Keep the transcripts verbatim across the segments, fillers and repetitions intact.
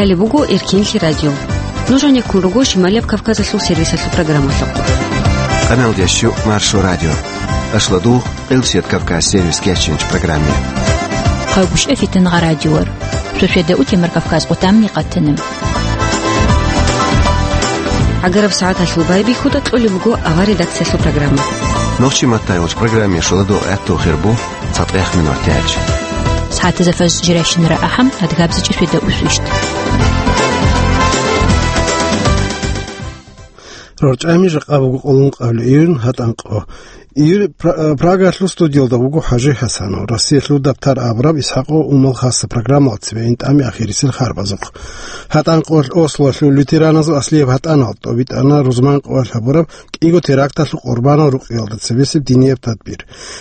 Гьале буго Эркинлъи радио. Нуж гьанеккун руго Шималияб Кавказалъул сервисалъул программалъухъ. Къаналдящу Маршо радио. Ашладугъ, Къилсият Кавказ сервис кеченч программе. Хъагуш эфитан гъа радиор. Шошведа утемар Кавказ къутамни къатанам. ГӀагараб сагӀаталъул байбихьуда кьолеб буго авар редакциялъул программа. Нохчи маттайолч программе шуладу гӀятту хирбу. ЦатӀех минут тяч. СагӀатазда фаз жирайщинара ахӀам, адгабзичӀи светда усвищт. РорчӀами жакъа буго къолун къабли июнь гьатӀан къо. Ир Пра-, Прагалъул студиялда вуго ХӀажи ХӀасанов, Россиялъул дабтар абураб ИсхӀакъо Умал хасса программалцеве интӀами ахирисел харбазухъ. ГьатӀан къолъ Ослолъул лютераназул аслияб гьатӀанал тӀобитӀана рузман къоялъ гьабураб кӀиго теракталъул къурбанал рукъиялда цебесеб динияб тадбир.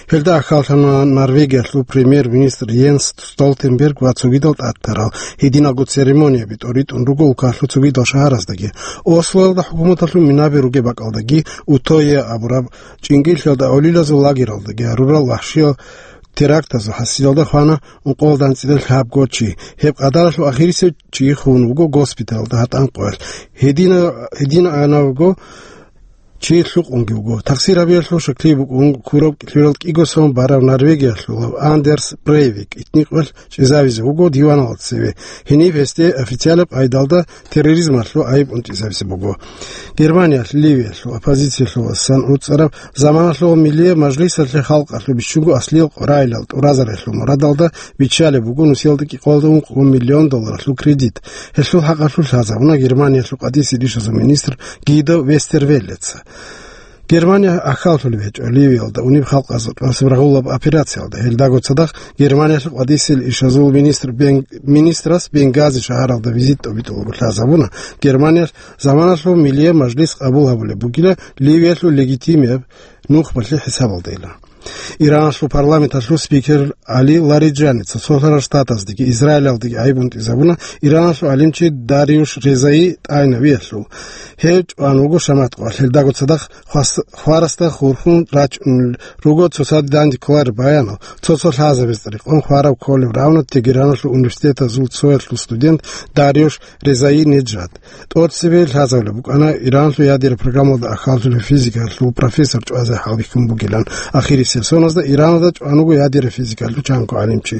Гьелда ахьаллъана Норвегиялъул премьер-министр Йенс Столтенберг ва цогидал тӀадтарал гьединалго церемонияби тӀоритӀун руго улкалъул цогидал шагьараздаги. Ослоялда хӀукуматалъул минаби ругеб бакӀалдаги, Утойя абураб чӀинкӀиллъиялда авлилазул лагералдаги гьарурал вахшиял терактазул хӀасилалда хвана ункъоялда анцӀила лъабго чи. Гьеб къадаралъул ахирисев чи хун вуго госпиталда гьатӀан къоялъ. Гьедина-, гьединанавго чи лъукъунги вуго. Тахсир гьабиялъул шаклъи букӀун, кураб кӀилъуялда кӀиго сон барав Норвегиялъулав Андерс Брейвик итникъвелъ чӀезавизе вуго диваналда цеве. Гьениб гьесде официалаб къайдалда терроризмалъул гӀайиб унтӀизабизе буго. Германиялъ Ливиялъул оппозициялъуласан уцӀараб заманалъул миллияб мажлисалъе халкъалъул бищунго аслиял къваригӀелал тӀуразарелъул мурадалда биччалеб буго нусиялда кӀикъоялда ункъо миллион долларалъул кредит. Гьелъул хӀакъалъулъ лъазабуна Германиялъул къватӀисел ишазул министр Гидо Вестервеллеца. Германия ахьаллъулеб гьечӀо Ливиялда унеб халкъазул тӀасаб рагъулаб операциялда. Гьелдаго цадахъ Германиялъул къватӀисел ишазул министр Бен-, министрас Бенгази шагьаралда визит тӀобитӀулаго лъазабуна Германиялъ заманалъул миллияб мажлис къабул гьабулеб бугила Ливиялъул легитимияб нухбалъе хӀисабалдайила. Ираналъул парламенталъул спикер Али Лариджани Цоцолъарал Штатаздеги Израилалдеги гӀайиб унтӀизабуна Ираналъул гӀалимчи Дариуш Резаи тӀайнавиялъул. Гьев чӀван вуго шамат къоялъ, гьелдаго цадахъ хвас-, хварасда хурхун рачӀунел руго цоцаде данде кколареб баянал, цо-цо лъазабазда рекъон хварав кколев равно Тегераналъул университетазул цоялъул студент Дариуш Резаи Неджад. ТӀоцебе лъазабулеб букӀана Иранлъул ядераб программалда ахьаллъулев физикалъул профессор чӀвазе хӀалбихьун бугилан. Ахирисеб соназда Ираназда чӀван вуго ядераб физикалъул чанго гӀалимчи.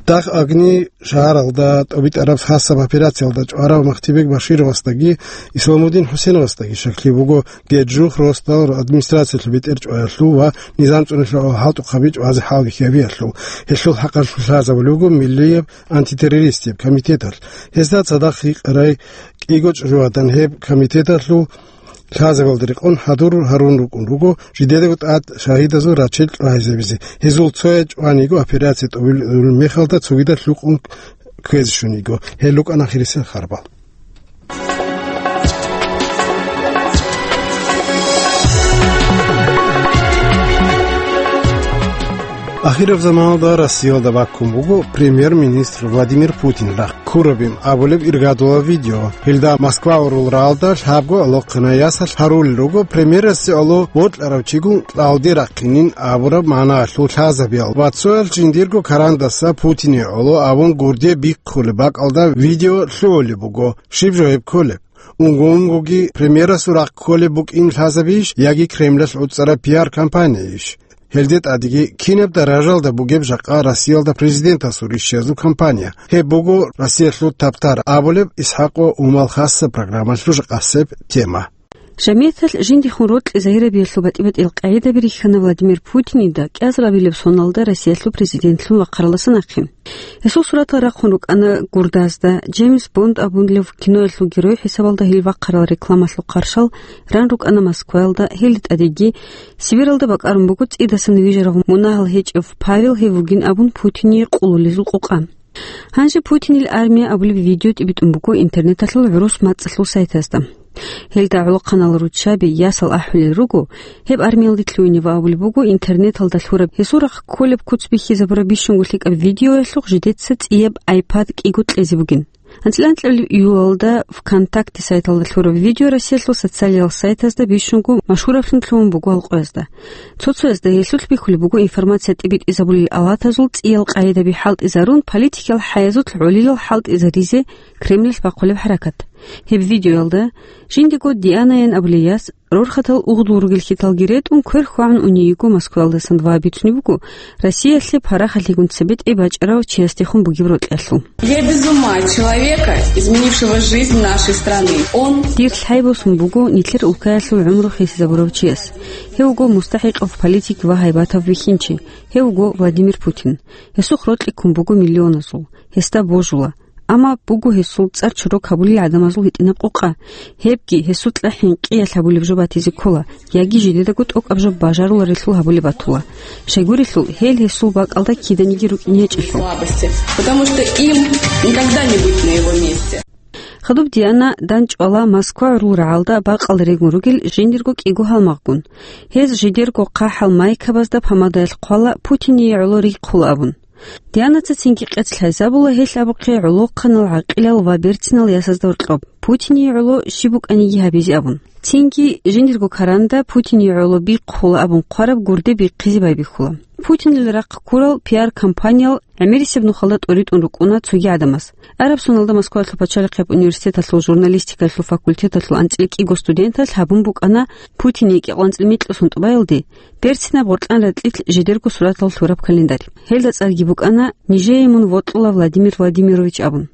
Дахъ Агни шагьаралда тӀобитӀараб хасаб операциялда чӀварав Махтибек Башировасдаги Исламудин ХӀусеновасдаги шаклъи буго Геджух росдал администрациялъул бетӀер чӀваялъул ва низам цӀунулъул хӀалтӀухъаби чӀвазе хӀалбихьиялъул. Гьелъул хӀакъалъулъ лъазабулеб буго миллияб антитеррористияб комитеталъ. Гьезда цадахъ гьикъарай кӀиго чӀужугӀадан гьеб комитеталъул лъазабалда рекъон хӀадур гьарун рукӀун руго жидедаго тӀад шагьидазул рачел чӀвагӀизабизе. Гьезул цояз чӀван йиго операция тӀобилеб мехалда цогидал лъукъун ккезе щун йиго. Гьел рукӀана ахирисел харбал. Ахираб заманалда Россиялда баккун буго премьер-министр Владимир Путин рахъ ккурабин абулеб иргадулаб видео. Гьелда Москва урул раалда лъабго алохъана ясалъ гьарулел руго премьерасде ало вокьарав чигун кьалде рахъинин абураб магӀнаялъул лъазабиял ва цоял жиндирго карандаса Путине гӀоло абун гурде бихъулеб бакӀалда видео лъугӀулеб буго. Щиб жо гьеб кколеб? Унго-унгоги премьерасул рахъ кколеб букӀин лъазабийищ яги Кремлалъ гӀуцӀараб пиар-компанияйищ? Гьелде тӀадеги кинаб даражалда бугеб жакъа Россиялда президентасул рищиязул кампания? Гьеб буго Россиялъул табтар абулеб ИсхӀакъо Умал хасса программалъул жакъасеб тема. ЖамигӀаталъ жиндихун рокьи загьирабиялъул батӀи-батӀиял къагӀидаби рихьана Владимир Путинида кӀиазарабилеб соналда Россиялъул президентлъун вахъаралдаса нахъе. Гьесул суратал рахъун рукӀана гурдазда, Джеймс Бонд абунлев киноялъул герой хӀисабалда гьел вахъарал рекламалъул хъаршал ран рукӀана Москваялда, гьелде тӀадеги Сибиралда бакӀарун буго цӀидасан вижарав мунагьал гьечӀев Павел, гьев вугин абун Путине къулулезул къокъа. Гьанже Путинил армия абулеб видео тӀибитӀун буго интернеталъул гӀурус мацӀалъул сайтазда. Гьелда гӀолохъанал руччаби, ясал ахӀулел руго, гьеб армиялде лъугьинев абулеб буго интернеталда лъураб гьесул рахъ кколеб куц бихьизабураб бищунго лъикӀаб видеоялъухъ жидеца цӀияб iPad кӀиго кьезе бугин. АнцӀила анкьабилеб июлалда ВКонтакте сайталда лъураб видео Россиялъул социалиял сайтазда бищунго машгьураблъун лъугьун буго гьал къоязда. Цо-цоязда гьелъулъ бихьулеб буго информация тӀибитӀизабулел алатазул цӀиял къагӀидаби хӀалтӀизарун, политикиял хӀаязулъ гӀолилал хӀалтӀизаризе Кремлалъ бахъулеб хӀаракат. Гьеб видеоялда жиндего Дианаян абулей яс, рорхатал угъдул ругел хьиталги ретӀун, квер хьвагӀун уней йиго Москваялдасан ва бицунеб буго Россиялъе парахалъигун цебетӀей бачӀарав чиясдехун бугеб рокьиялъул. Я без ума от человека, изменившего жизнь нашей страны. Он Дир лъай босун буго нилъер улкаялъул гӀумру хисизабурав чияс. Гьев вуго мустахӀикъав политик ва гьайбатав вихьинчи. Гьев вуго Владимир Путин. Гьесухъ рокьи ккун буго миллионазул. Гьесда божула. Амма буго гьесул цӀар чорок гьабулел гӀадамазул гьитӀинаб къокъа. Гьебги гьесукьа хӀинкъиялъ гьабулеб жо батизе ккола, яги жидедаго тӀокӀаб жо бажаруларелъул гьабулеб батула. Щайгурелъул, гьел гьесул бакӀалда киданиги рукӀине гьечӀелъул. Слабости, потому что им никогда не быть на его месте. Хадуб Диана дандчӀвала Москва гӀурул рагӀалда бакъалда регун ругел жиндирго кӀиго гьалмагъгун. Гьез жидерго хъахӀал майкабазда помадаялъ хъвала Путине гӀоло рихъула абун. Дианаца цинги къец лъазабула гьелъ абухъе гӀолохъанал гӀакъилал ва берцинал ясазда гьоркьоб, Путине гӀоло щиб букӀаниги гьабизе абун. Цинги жиндирго каранда Путине гӀоло бихъула абун хъвараб гурде бихъизе байбихьула. Путинил рахъ ккурал пиар-компаниял гӀемерисеб нухалда тӀоритӀун рукӀуна цоги гӀадамаз. Араб соналда Москвалъул пачалихъияб университеталъул журналистикалъул факультеталъул анцӀила кӀиго студенталъ гьабун букӀана Путине кӀикъоялда анцӀила микьго сун тӀубаялде берцинаб гъоркьан ракьилъ жидерго суратал лъураб календарь. Гьелда цӀарги букӀана «Нижее мун вокьула, Владимир Владимирович» абун.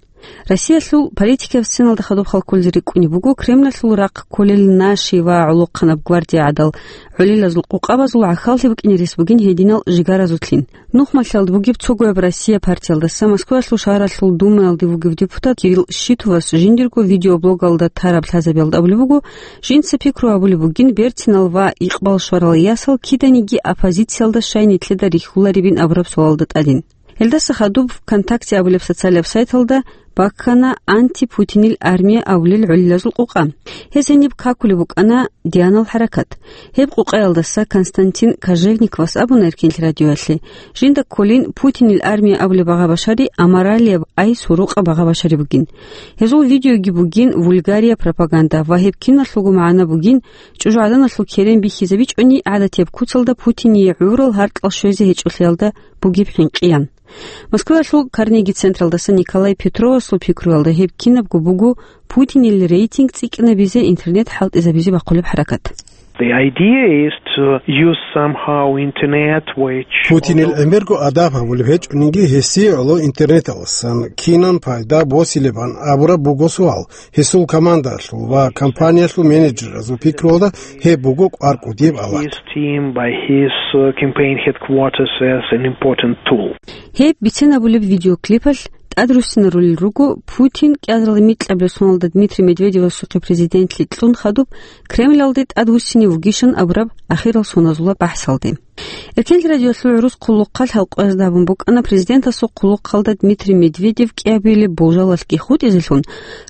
Россиялъул политикияб сценалда хадуб хал кколел рикӀкӀунеб буго Кремлалъул рахъ кколел наши ва гӀолохъанаб гвардия гӀадал гӀолилазул къокъабазул гӀахьаллъи букӀине рес бугин гьединал жигаразулъин. Нухмалъалда бугеб цогояб Россия партиялдаса Москваялъул шагьаралъул Думаялде вугев депутат Кирилл Щитовас жиндирго видеоблогалда тараб лъазабиялда абулеб буго, жинца пикру гьабулеб бугин берцинал ва икъбал щварал ясал киданиги оппозициялда щай нилъеда рихьуларебин абураб суалалда тӀадин. Гьелдаса хадуб ВКонтакте абулеб социалияб сайталда баккана «Антипутинил армия» абулел гӀолилазул къокъа. Гьез гьениб какулеб букӀана Дианал хӀаракат. Гьеб къокъаялдаса Константин Кожевниковас абуна Эркенлъи радиоялъе, жинда кколин Путинил армия абулеб багъа башари аморалияб, ай сурукъаб багъа башари бугин. Гьезул видеоги бугин вульгария пропаганда ва гьеб киналъулго магӀна бугин чӀужугӀаданалъул керен бихьизабичӀони гӀадатияб куцалда Путине гӀурал гьаркьал щвезе гьечӀолъиялда бугеб хӀинкъиян. Москваялъул Карнеги централдаса Николай Петровасул пикруялда гьеб кинабго буго Путинил рейтинг цӀикӀкӀинабизе интернет хӀалтӀизабизе бахъулеб хӀаракат. The idea is to use somehow internet, which Путинил гӀемерго адаб гьабулеб гьечӀониги, гьесие гӀоло интернеталдасан кинан пайда босилебан абураб буго суал. Гьесул командалъул ва компаниялъул менеджерразул пикруялда гьеб буго кӀвар кӀудияб алат. His team, by his, uh, campaign headquarters as an important tool. Гьеб бицен абулеб видеоклипалъ тӀадруссинарулел руго Путин кӀиазарилан микьабилеб соналда Дмитрий Медведевасухъе президентлъи кьун хадуб Кремлалде тӀадвуссине вугищан абураб ахирал соназула бахӀсалде. Эркенлъи радиоялъул гӀурус хъулухъалъ гьал къоязда абун букӀана президентасул хъулухъалда Дмитрий Медведев кӀиабилеб болжалалъги хутӀизелъун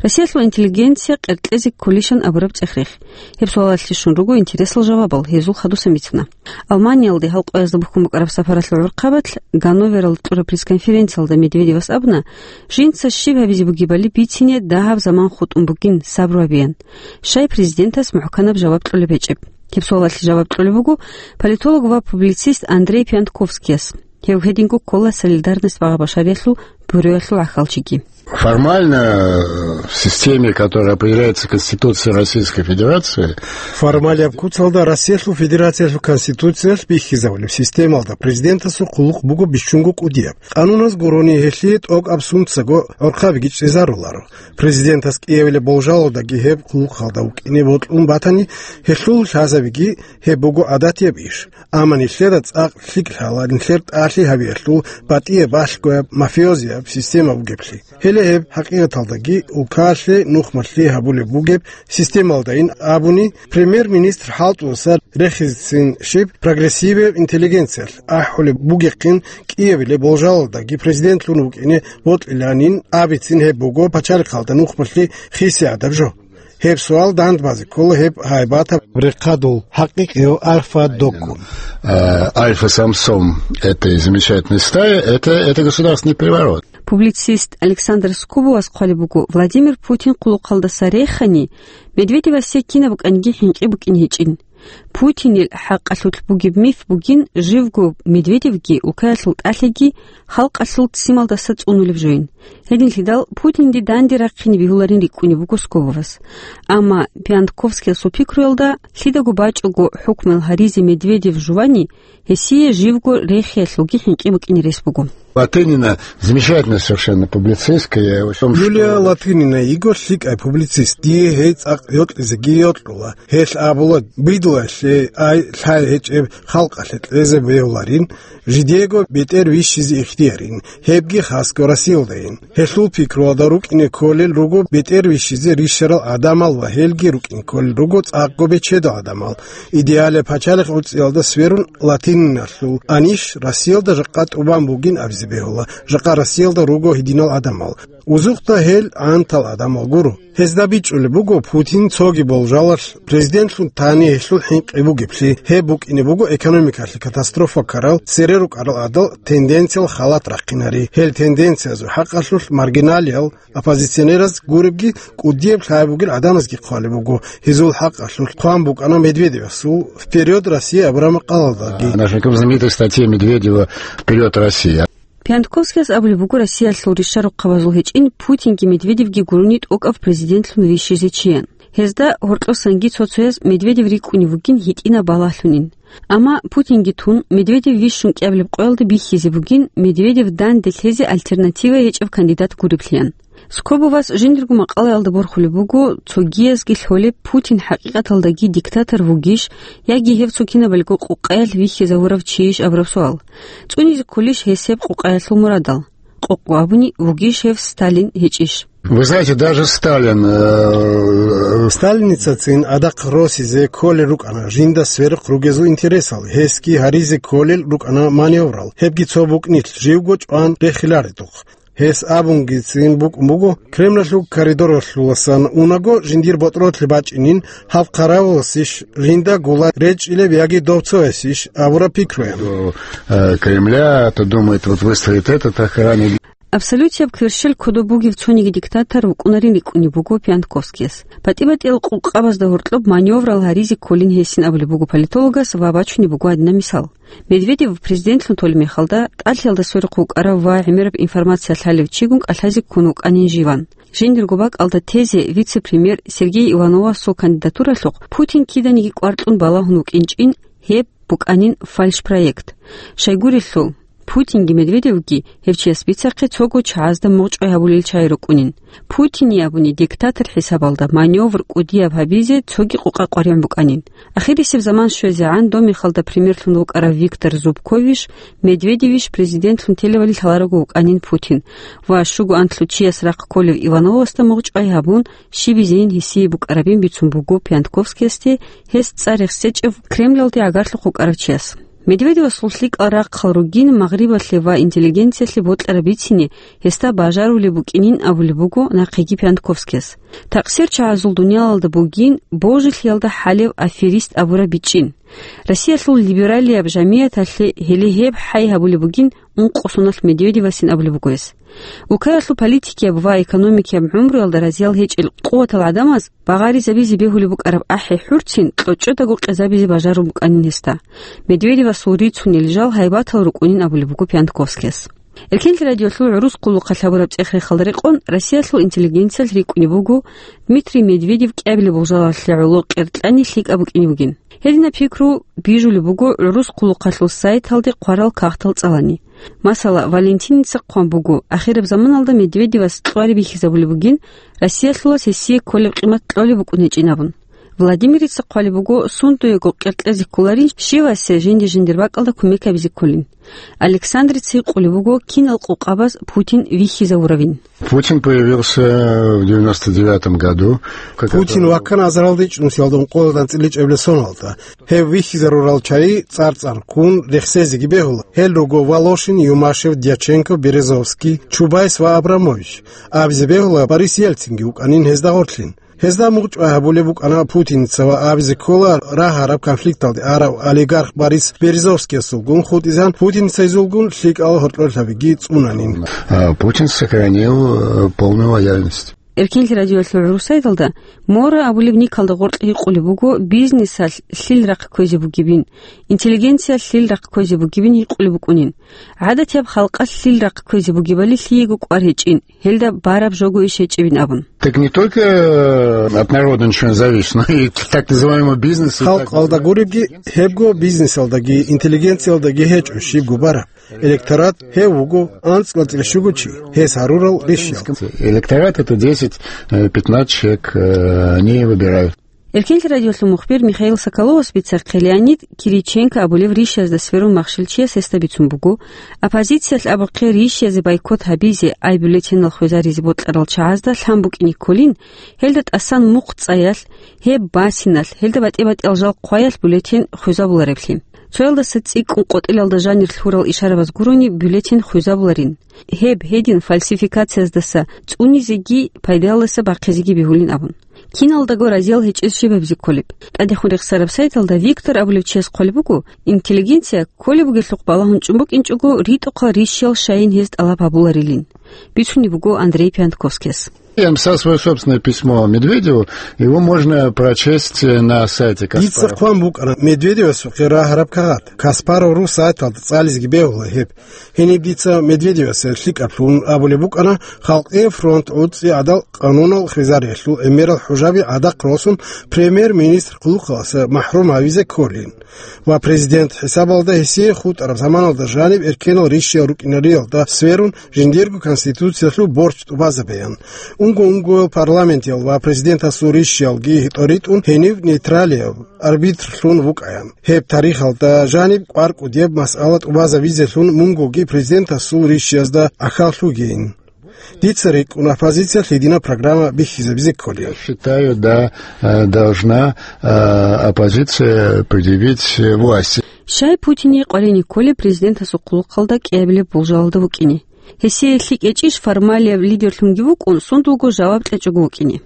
Россиялъул интеллигенция къеркьезе кколищан абураб цӀех-рех. Гьеб суалалъе щун руго интересал жавабал, гьезул хадусан бицана. Алманиялде гьал къоязда бухьун букӀараб сапаралъул гӀурхъабалъ Ганновералда кьураб пресс-конференциялда Медведевас абуна, жинца щиб гьабизе бугебали бицине дагьаб заман хутӀун бугин, сабру гьабеян. Щай президентас мухӀканаб жаваб кьолеб гьечӀеб? Гьеб суалалъе жаваб кьолеб буго политолог ва публицист Андрей Пиантковскияс. Гьев гьединго ккола «Солидарность» багъа башариялъул бюроялъул гӀахьалчиги. Формально, э, в системе, которая определяется Конституцией Российской Федерации, Формалияб куцалда Россиялъул Федерациялъул Конституциялъ бихьизабулеб системалда президентасул хъулухъ буго бищунго кӀудияб. Къануназ гурони гьелъие тӀокӀаб сунцаго гӀорхъабиги чӀезаруларо. Президентас кӀиабилеб болжалалдаги гьеб хъулухъалда вукӀине бокьун батани, гьелъул лъазабиги гьеб буго гӀадатияб иш. Амма нилъеда цӀакъ лъикӀ лъала нилъер тӀалъи гьабиялъул батӀияб балъгояб мафиозияб система бугеблъи. Гьеле гьеб хӀакъикъаталдаги улкалъе нухмалъи гьабулеб бугеб системалдайин абуни, премьер-министр хӀалтӀуласа рехизецин щиб прогрессивияб интеллигенциялъ ахӀулеб бугехъин кӀиабилеб болжалалдаги президентлъун вукӀине бокьиланин абицин гьеб буго пачалихъалда нухмалъи хисиядаб жо. Гьеб суал дандбазе ккола гьеб гьайбатаб рехъадул хӀакъикъияв Альфа Доккун. Э, Альфа Самсон этой замечательной стаи, это, это государственный переворот. Публицист Александр Скобовас хъвалеб буго, Владимир Путин къулухъалдаса рехани, Медведевасе кинаб букӀаниги хӀинкъи букӀин гьечӀин. Путинил хӀакъалъулъ бугеб миф бугин, живго Медведевги улкаялъул тӀалъиги халкъалъул ццималдаса цӀунулеб жойин. Гьединлъидал Путинде данде рахъине бегьуларин рикӀкӀунеб буго Скобовас. Амма Пиантковскиясул пикруялда, лъидаго бачӀого хӀукмуял гьаризе Медведев жувани, гьесие живго рехиялъулги хӀинкъи букӀине рес буго. Латынина замечательная совершенно публицистка, я её очень Юлия что Латынина йиго лъикӀай публицист. Дие гьей цӀакъ йокьизеги йокьула. Гьелъ абула, бидлуялъе ай лъай гьечӀеб халкъалъе кьезе бегьуларин, жидего бетӀер вищизе ихтиярин, гьебги хасго Россиялдайин. Гьелъул пикруялда рукӀине кколел руго бетӀер вищизе рищарал гӀадамал ва гьелги рукӀине кколел руго цӀакъго бечедал гӀадамал. Идеалияб пачалихъ гӀуцӀиялда сверун, Латининалъул аниш Россиялда жакъа тӀубан бугин абизе бегьула, жакъа Россиялда руго гьединал гӀадамал. Узухъда гьел гӀантал гӀадамал гуро. Гьезда бичӀчӀулеб буго Путин цоги болжалалъ президентлъун тани гьелъул хӀинкъи бугеблъи, гьеб букӀине буго экономикалъе катастрофа ккарал, цере рукӀарал гӀадал тенденциял халат рахъинари. Гьел тенденциязул хӀакъалъулъ маргиналиял, оппозиционераз гуребги, кӀудияб лъай бугел гӀадамазги хъвалеб буго. Гьезул хӀакъалъулъ хъван букӀана Медведевасул «Вперёд, Россия» абураб макъалалдаги. Она же как в знаменитой статье Медведева «Вперёд, Россия». Пиантковскияс абулеб буго, Россиялъул ришарухъабазул гьечӀин Путинги Медведевги гурони тӀокӀав президентлъун вищизе чиян. Гьезда гьоркьосанги цо-цояз Медведев рикӀкӀунев вугин гьитӀинаб балагьлъунин. Амма Путинги тун, Медведев вищун кӀиабилеб къоялда бихьизе бугин, Медведев данде лъезе альтернатива гьечӀеб кандидат гуреблъиян. Скобовас жиндирго макъалаялда борхулеб буго, цогиязги лъолеб Путин хӀакъикъаталдаги диктатор вугищ, яги гьев цо кинабалго къукъаялъ вихьизавурав чийищ абураб суал. ЦӀунизе кколищ гьес гьеб къукъаялъул мурадал? Къокъго абуни, вугищ гьев Сталин, гьечӀищ? Вы знаете, даже Сталин, э, Сталиницацин адахъ росизе кколел рукӀана жинда сверухъ ругезул интересал, гьесги гьаризе кколел рукӀана маневрал, гьебги цо букӀнилъ живго чӀван рехиларедухъ. Гьес абунгицин букӀун буго, Кремлалъул коридоралъуласан унаго, жиндир ботӀролъи бачӀинин, гьав хъаравуласищ, жинда гула речӀчӀилеб яги дов цоясищ абураб пикруян. До, э, Кремля, то думает, вот выстроит этот охранник. Абсолютияб кверщел кодоб бугев цониги диктатор вукӀунарин рикӀкӀунеб буго Пиантковскияс. БатӀи-батӀиял къукъабазда гьоркьоб маневрал гьаризе кколин гьесин абулеб буго политологас ва бачунеб буго гьадинаб мисал. Медведев президентлъун толеб мехалда, тӀалъиялда сверухъ вукӀарав ва гӀемераб информация лъалев чигун кӀалъазе ккун вукӀанин живан. Жиндирго бакӀалда тезе вице-премьер Сергей Ивановасул кандидатуралъухъ Путин киданиги кӀвар кьун балагьун вукӀинчӀин, гьеб букӀанин фальшпроект. Щайгурелъул, Путинги Медведевги гьев чияс бицахъе цого чагӀазда мугъчӀвай гьабулел чагӀи рукӀунин. Путине абуни диктатор хӀисабалда маневр кӀудияб гьабизе цоги къукъа къваригӀун букӀанин. Ахирисеб заман щвезегӀан доб мехалда премьерлъун вукӀарав Виктор Зубковищ, Медведевищ президентлъун телевали лъаларого вукӀанин Путин ва щуго анлъго чияс рахъ кколев Ивановасда мугъчӀвай гьабун, щибизейин гьесие букӀарабин бицун буго Пиантковскиясде, гьес цӀар рехсечӀев Кремлалде гӀагарлъухъ вукӀарав чияс. Медведевасул лъикӀал рахъал ругин магърибалъе ва интеллигенциялъе бокьараб бицине гьесда бажарулеб букӀинин абулеб буго нахъеги Пиантковскияс. Такъсир чагӀазул дуниялалда бугин божилъиялда хӀалев аферист абураб бичӀчӀин. Россиялъул либералияб жамияталъе гьеле гьеб хӀай гьабулеб бугин ункъо соналъ Медведевасин абулеб буго гьес. Улкаялъул политикияб ва экономикияб гӀумруялда разиял гьечӀел къуватал гӀадамаз багъаризабизе бегьулеб букӀараб ахӀи-хӀурцин кьочӀодаго къезабизе бажарун букӀанин гьесда. Медведевасул рицунел жал гьайбатал рукӀунин абулеб буго Пиантковскияс. Эркенлъи радиолъул гӀурус къулухъалъ гьабураб цӀех-рехалда рекъон Россиялъул интеллигенциялъ рикӀкӀунеб буго Дмитрий Медведев кӀиабилеб болжалалъе гӀоло къеркьани лъикӀаб букӀине бугин. Гьединаб пикру бижулеб буго гӀурус къулухъалъул сайталде хъварал кагътал цӀалани. Масала, Валентиница хъван буго, ахираб заманалда Медведевас кьвари бихьизабулеб бугин, Россиялъулас гьесие кколеб къимат кьолеб букӀун гьечӀин абун. Владимирица хъвалеб буго, сундуего къеркьезе кколарин, щивасе жинди-жиндир бакӀалда кумек гьабизе кколин. Александрица гьикъулеб буго, кинал къукъабаз Путин вихьизавуравин. Путин появился в девяносто девятом году. Как Путин это ваккана азаралда ичӀнусиялда ункъоялда анцӀила ичӀабилеб соналда. Гьев вихьизарурал чагӀи цӀар-цӀар ккун рехсезеги бегьула. Гьел руго Волошин, Юмашев, Дьяченко, Березовский, Чубайс ва Абрамович. Абизе бегьула, Борис Ельцинги вукӀанин гьезда гъорлъин. Гьезда мугъчӀвай гьабулеб букӀана Путинца ва абизе ккола рагьараб конфликталде арав олигарх Борис Березовскиясулгун хутӀизан, Путинцайзулгун лъикӀал гьоркьорлъабиги цӀунанин. А Путин сохранил, э, полную лояльность. Эркенлъи радиоялъул гӀурусайдалда Мора абулеб никалда гъоркь гьикъулеб буго бизнесалъ лъил рахъ кквезе бугебин, интеллигенциялъ лъил рахъ кквезе бугебин гьикъулеб букӀунин. ГӀадатияб халкъалъ лъил рахъ кквезе бугебали лъиего кӀвар гьечӀин, гьелда бараб жого иш гьечӀебин абун. Так не только, э, от народа ничего не зависит, но и так называемый бизнес, и так... Халкъалда гуребги, гьебго бизнесалдаги, интеллигенциялдаги гьечӀо щибго бараб. Электорат гьев вуго анцӀ-анцӀила щуго чи, гьес гьарурал рищал. Электорат — это десять, э, пятнадцать человек, э, они выбирают. Эркенлъи радиолъул мухбир Михаил Соколовас бицархъе Леонид Кириченко абулев рищазда сверун махщел чияс гьесда бицун буго, оппозициялъ абухъе рищазе бойкот гьабизе, ай бюллетенал хвезаризе бокьарал чагӀазда лъан букӀине кколин, гьелда тӀасан мухъ цӀаялъ, гьеб басиналъ, гьелда батӀи-батӀиял жал хъваялъ бюллетен хвезабулареблъи. Цоялдаса цӀикӀкӀун къотӀилалда жанир лъурал ишарабаз гурони бюллетен хвезабуларин. Гьеб гьедин фальсификацияздаса цӀунизеги пайдалдаса бахъизеги бегьулин абун. Киналдаго разиял гьечӀез щиб гьабизе кколеб? ТӀадехун рехсараб сайталда Виктор абулев чияс хъвалеб буго, интеллигенция кколеб бугелъухъ балагьун чӀун букӀинчӀого ритӀухъал рищиял щайин гьез тӀалаб гьабуларилин. Бицунеб буго Андрей Пиантковскияс. Я написал своё собственное письмо Медведеву, его можно прочесть на сайте Дица Каспаров. Хъван букӀана Медведевасухъе рагьараб кагъат. Каспаров ру сайталда цӀализеги бегьула гьеб. Гьениб дица Медведевасе лъикӀаблъун абулеб букӀана, Халкъие фронт гӀуцӀи гӀадал къанунал хвезариялъул гӀемерал хӀужаби гӀадахъ росун, премьер-министр хъулухъаласа махӀрум гьавизе кколин. Ва президент хӀисабалда гьесие хутӀараб заманалда жаниб эркенал рищиял рукӀинариялда сверун жиндирго конституциялъул борч тӀубазабеян. Унго-унгоял парламентиял ва президентасул рищиялги тӀоритӀун гьенив нейтралияб арбитрлъун вукӀаян. Гьеб тарихалда жаниб кӀвар-кӀудияб масъала тӀубазабизелъун мунгоги президентасул рищиязда ахӀаллъугейин. Дица рикӀкӀуна оппозициялъ гьединаб программа бихьизабизе кколеб. Я считаю, да, э, должна, э, оппозиция предъявить власти. Щай Путине къваригӀине кколеб президентасул хъулухъалда кӀиабилеб болжалалда вукӀине? Гьесие лъикӀ гьечӀищ формалияб лидерлъунги вукӀун, сундулго жаваб кьечӀого вукӀине?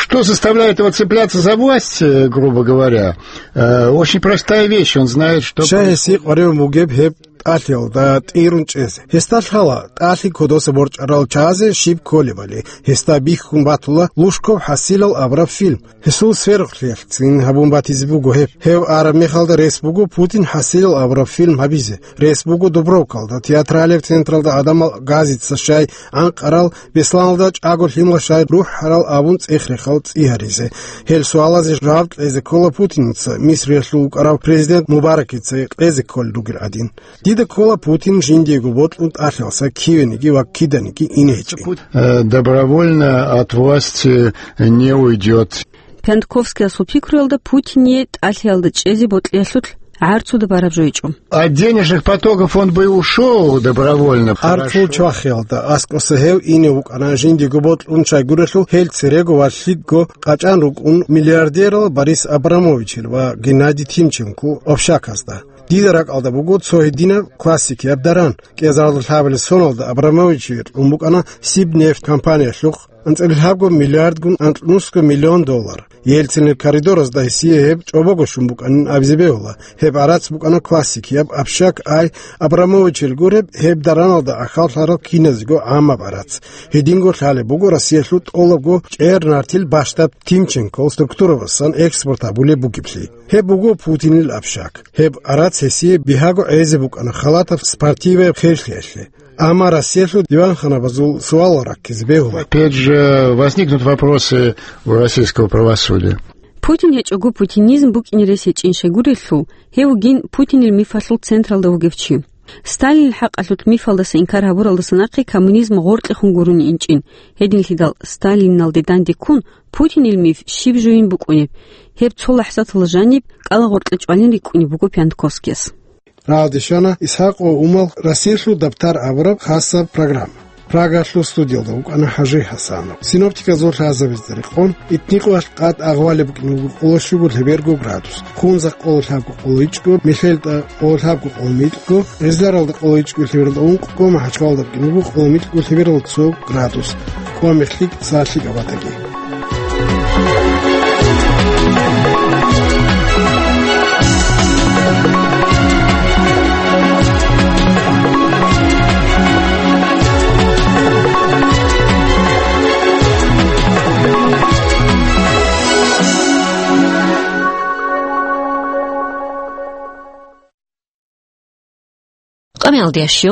Что заставляет его цепляться за власть, э, грубо говоря? Э, очень простая вещь, он знает, что... Щай гьесие къваригӀун бугеб гьеб тӀалъиялда тӀирун чӀезе? Гьесда лъала тӀалъи кодоса борчӀарал чагӀазе щиб кколебали, гьесда бихьун батула Лужков хӀасилал абураб фильм. Гьесул сверухълъиялъцин гьабун батизе буго гьеб. Гьев араб мехалда рес буго Путин хӀасилал абураб фильм гьабизе. Рес буго Дубровкалда, театралияб централда гӀадамал газица щай анкъарал, Бесланалда чӀаго лъимал щай рухӀарал абун цӀех-рехал цӀи гьаризе. Гьел суалазе жаваб кьезе ккола Путинца, Мисриялъул вукӀарав президент Мубаракица кьезе кколел ругел гӀадин. Дида ккола Путин жиндиего бокьун тӀалъиялса кивениги ва киданиги ине гьечӀин. Э, добровольно от власти не уйдёт. Пиантковскиясул пикруялда Путине тӀалъиялда чӀезе бокьиялъулъ гӀарцуда бараб жо гьечӀо. От денежных потоков он бы и ушёл добровольно. ГӀарцул чвахиялда аскӀоса гьев ине вукӀана жиндиего бокьун щайгурелъул гьел церего ва лъикӀго къачӀан рукӀун миллиардерал Борис Абрамовичил ва Геннадий Тимченко общаказда. Дида ракӀалда буго цо гьединаб классикияб даран. КӀиазаралда лъабабилеб соналда Абрамовичие кьун букӀана Сибнефть компаниялъухъ анцӀила лъабго миллиардгун анкьнусго миллион доллар. Ельцинил коридоразда гьесие гьеб чӀобого щун букӀанин абизе бегьула. Гьеб гӀарац букӀана классикияб, общак ай Абрамовичил гуреб, гьеб дараналда ахӀаллъарал киназего гӀаммаб гӀарац. Гьединго лъалеб буго Россиялъул тӀолабго чӀер-нартил бащдаб Тимченкол структурабасан экспорт гьабулеб бугеблъи. Гьеб буго Путинил общак. Гьеб гӀарац гьесие бигьаго гӀезе букӀана халатаб спортиваяб херлъиялъе. Амма Россиялъул диванханабазул суалал раккизе бегьула. Опять же возникнут вопросы у российского правосудия. Путин гьечӀого путинизм букӀине рес гьечӀин щайгурелъул, гьев вугин Путинил мифалъул централда вугев чи. Сталинил хӀакъалъулъ мифалдаса инкар гьабуралдаса нахъе коммунизм гъоркьехун гурони инчӀин. Гьединлъидал Сталиналде данде ккун, Путинил миф щиб жугьин букӀунеб? Гьеб цо лахӀзаталда жаниб кӀалагъоркье чӀвалин рикӀкӀунеб буго Пиантковскияс. Рагьалде щвана Исхакъ ва Умал Россиялъул дабтар абураб хасаб программа. Прагалъул студиялда вукӀана ХӀажи ХӀасанов. Синоптиказул лъазабазда рекъон, итникъоялъ къад агъвалеб букӀине буго къоло щуго лъеберго градус, хунзахъ къоло лъабго къоло ичӀго, Мелъелда къоло лъабго къоло микьго, Гъизларалда къоло ичӀго лъебералда ункъго, Махачкалада букӀине буго къоло микьго лъебералда цо градус. Къо мехлъи, са лъикӀаб батаги. Алде